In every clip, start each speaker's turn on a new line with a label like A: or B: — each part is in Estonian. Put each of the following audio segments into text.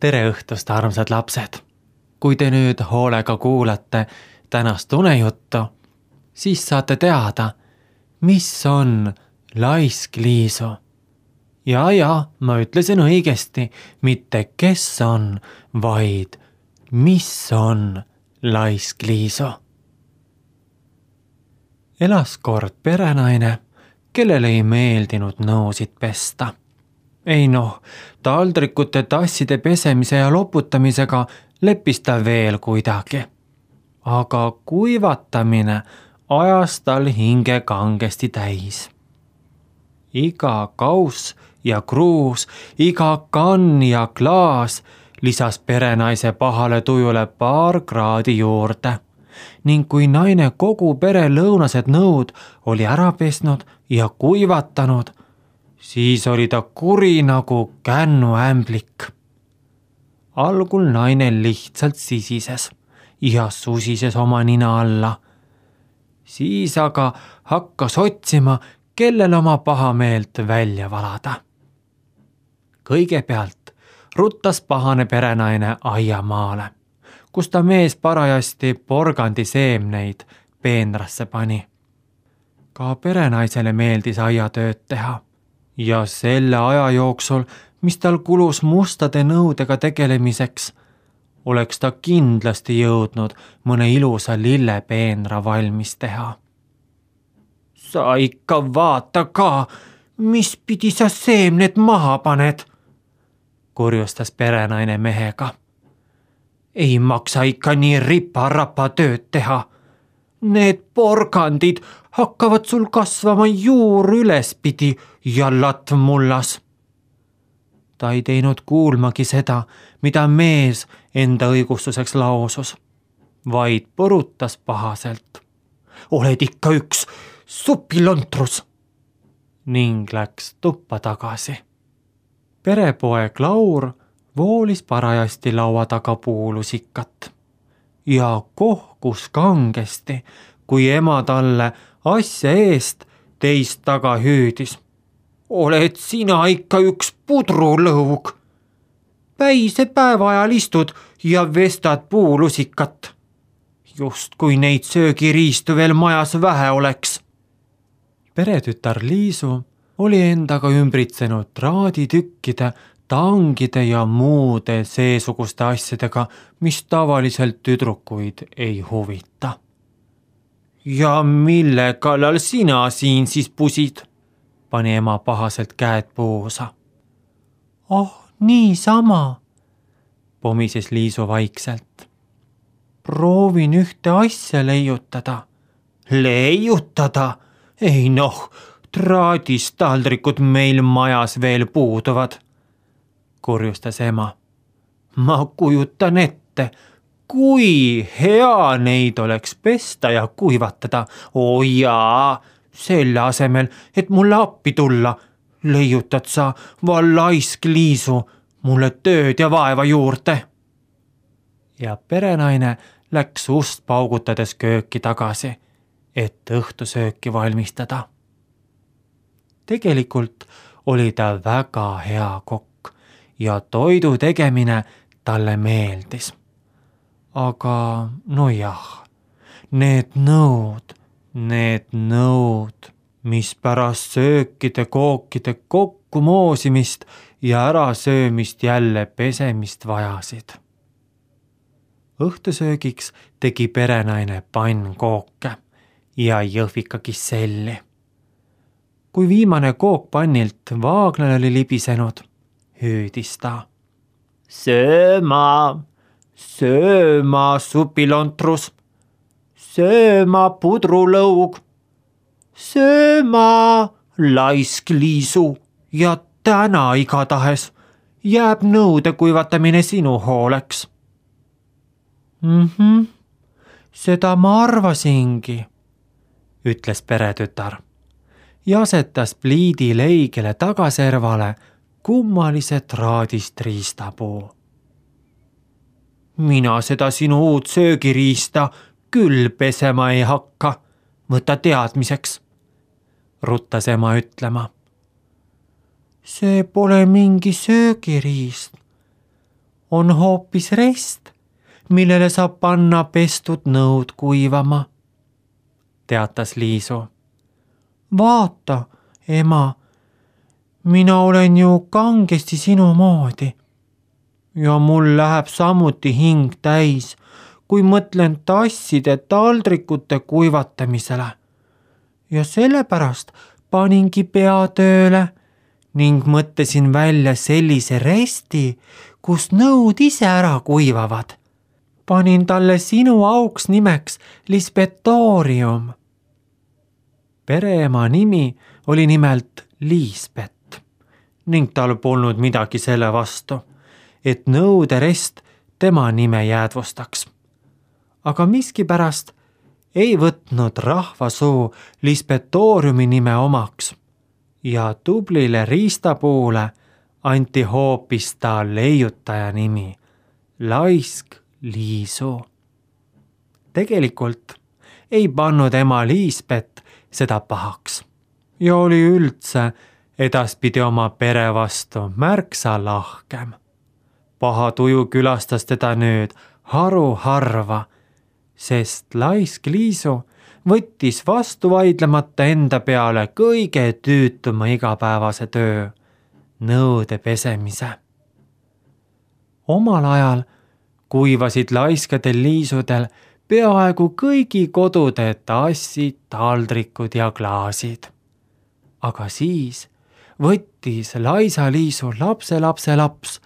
A: Tere õhtust, armsad lapsed! Kui te nüüd hoolega kuulate tänast unejuttu, siis saate teada, mis on laisk Liisu. Ja, ma ütlesin õigesti, mitte kes on, vaid mis on laisk Liisu. Elas kord perenaine, kellele ei meeldinud nõusid pesta. Ei taldrikute, tasside pesemise ja loputamisega leppis ta veel kuidagi. Aga kuivatamine ajas tal hinge kangesti täis. Iga kauss ja kruus, iga kann ja klaas lisas perenaise pahale tujule paar kraadi juurde. Ning kui naine kogu pere lõunased nõud oli ära pesnud ja kuivatanud, siis oli ta kuri nagu kännuämblik. Algul naine lihtsalt sisises ja susises oma nina alla. Siis aga hakkas otsima, kellel oma pahameelt välja valada. Kõigepealt ruttas pahane perenaine aiamaale, kus ta mees parajasti porgandi seemneid peenrasse pani. Ka perenaisele meeldis aiatööd teha. Ja selle aja jooksul, mis tal kulus mustade nõudega tegelemiseks, oleks ta kindlasti jõudnud mõne ilusa lillepeenra valmis teha. Sa ikka vaata ka, mis pidi sa seemned maha paned, kurjustas perenaine mehega. Ei maksa ikka nii ripa-rapa tööd teha. Need porgandid hakkavad sul kasvama juur ülespidi ja latv mullas. Ta ei teinud kuulmagi seda, mida mees enda õigustuseks lausus, vaid põrutas pahaselt. Oled ikka üks supilontrus! Ning läks tuppa tagasi. Perepoeg Laur voolis parajasti laua taga puulusikat ja kohkus kangesti, kui ema talle asja eest teist taga hüüdis. Oled sina ikka üks pudrulõug. Päise päeva ajal istud ja vestad puulusikat. Just kui neid söögiriistu veel majas vähe oleks. Peretütar Liisu oli endaga ümbritsenud traaditükkide, tangide ja muude seesuguste asjadega, mis tavaliselt tüdrukuid ei huvita. Ja mille kallal sina siin siis pusid? Pani ema pahaselt käed puusa. Niisama, pomises Liisu vaikselt. Proovin ühte asja leiutada. Leiutada? Ei traadist taldrikud meil majas veel puuduvad, kurjustas ema. Ma kujutan ette, kui hea neid oleks pesta ja kuivatada. Jaa, selle asemel, et mulle appi tulla, leiutad sa, laisk Liisu, mulle tööd ja vaeva juurde. Ja perenaine läks ust paugutades kööki tagasi, et õhtusööki valmistada. Tegelikult oli ta väga hea kokk ja toidu tegemine talle meeldis. Aga need nõud, mis pärast söökide-kookide kokkumoosimist ja ärasöömist jälle pesemist vajasid. Õhtusöögiks tegi perenaine pannkooke ja jõhvika kisselli. Kui viimane kook pannilt vaagnale oli libisenud, hüüdis ta. Sööma supilontrus, sööma pudrulõug, sööma laisk Liisu ja täna igatahes jääb nõude kuivatamine sinu hooleks. Seda ma arvasingi, ütles peretütar ja asetas pliidi leigele tagaservale kummalise traadist riistapuu. Mina seda sinu uut söögiriista küll pesema ei hakka, võta teadmiseks, ruttas ema ütlema. See pole mingi söögiriist, on hoopis rest, millele saab panna pestud nõud kuivama, teatas Liisu. Vaata, ema, mina olen ju kangesti sinu moodi ja mul läheb samuti hing täis, kui mõtlen tasside taldrikute kuivatamisele. Ja sellepärast paningi pea tööle ning mõtlesin välja sellise resti, kus nõud ise ära kuivavad. Panin talle sinu auks nimeks Lisbethorium. Pereema nimi oli nimelt Liisbet ning tal polnud midagi selle vastu, et nõuderest tema nime jäädvustaks. Aga miskipärast ei võtnud rahvasuu Lisbethoriumi nime omaks ja tublile riistapuule anti hoopis ta leiutaja nimi, Laisk Liisu. Tegelikult ei pannud ema Liisbet seda pahaks ja oli üldse edaspidi oma pere vastu märksa lahkem. Paha tuju külastas teda nüüd haruharva, sest Laisk Liisu võttis vastu vaidlemata enda peale kõige tüütuma igapäevase töö, nõude pesemise. Omal ajal kuivasid laiskadel liisudel peaaegu kõigi kodude tassid, taldrikud ja klaasid. Aga siis võttis laisa Liisu lapselaps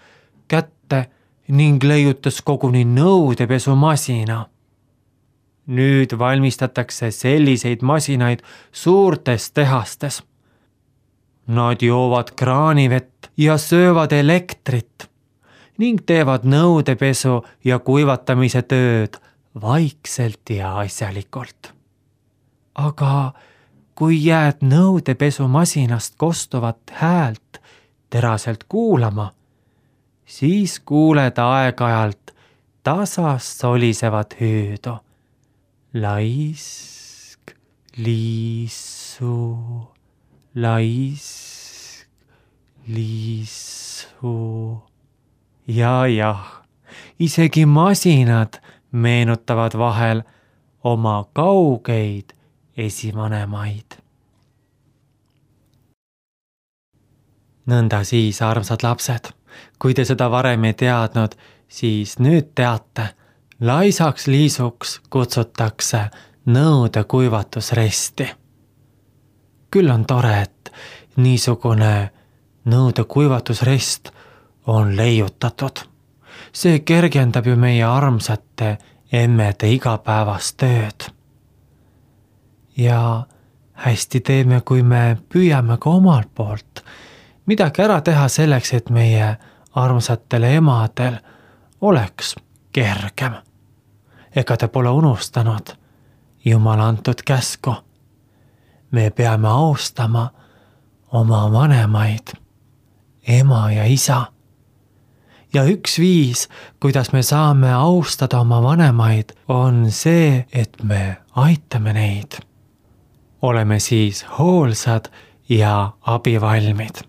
A: kätte ning leiutas koguni nõudepesumasina. Nüüd valmistatakse selliseid masinaid suurtes tehastes. Nad joovad kraanivett ja söövad elektrit ning teevad nõudepesu ja kuivatamise tööd vaikselt ja asjalikult. Aga kui jääd nõudepesumasinast kostuvat häält teraselt kuulama, siis kuuled aeg-ajalt tasast solisevat hüüdu. Laisk Liisu, Laisk Liisu. Jah, isegi masinad meenutavad vahel oma kaugeid esivanemaid. Nõnda siis, armsad lapsed, kui te seda varem ei teadnud, siis nüüd teate, Laisaks Liisuks kutsutakse nõude kuivatusresti. Küll on tore, et niisugune nõude kuivatusrest on leiutatud. See kergendab ju meie armsate emmede igapäevast tööd. Ja hästi teeme, kui me püüame ka omalt poolt midagi ära teha selleks, et meie armsatel emadel oleks kergem. Ega te pole unustanud Jumala antud käsku. Me peame austama oma vanemaid, ema ja isa. Ja üks viis, kuidas me saame austada oma vanemaid, on see, et me aitame neid. Oleme siis hoolsad ja abivalmid.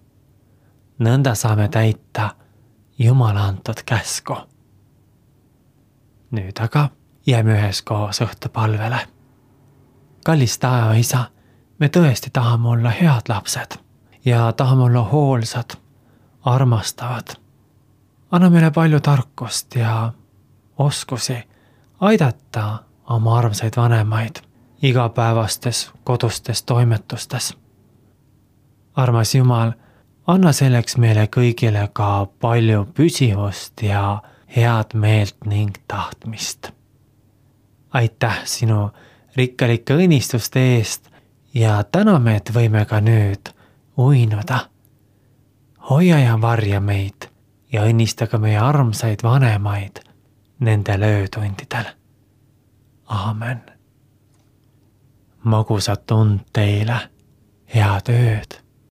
A: Nõnda saame täita Jumala antud käsku. Nüüd aga jääme üheskoos õhtupalvele. Kallis taevaisa, me tõesti tahame olla head lapsed ja tahame olla hoolsad, armastavad. Anna meile palju tarkust ja oskusi aidata oma armsaid vanemaid igapäevastes kodustes toimetustes. Armas Jumal, anna selleks meile kõigile ka palju püsivust ja head meelt ning tahtmist. Aitäh sinu rikkalike õnnistuste eest ja täname, et võime ka nüüd uinuda. Hoia ja varja meid ja õnnista ka meie armsaid vanemaid nendel öötundidel. Aamen. Magusat und teile, head ööd.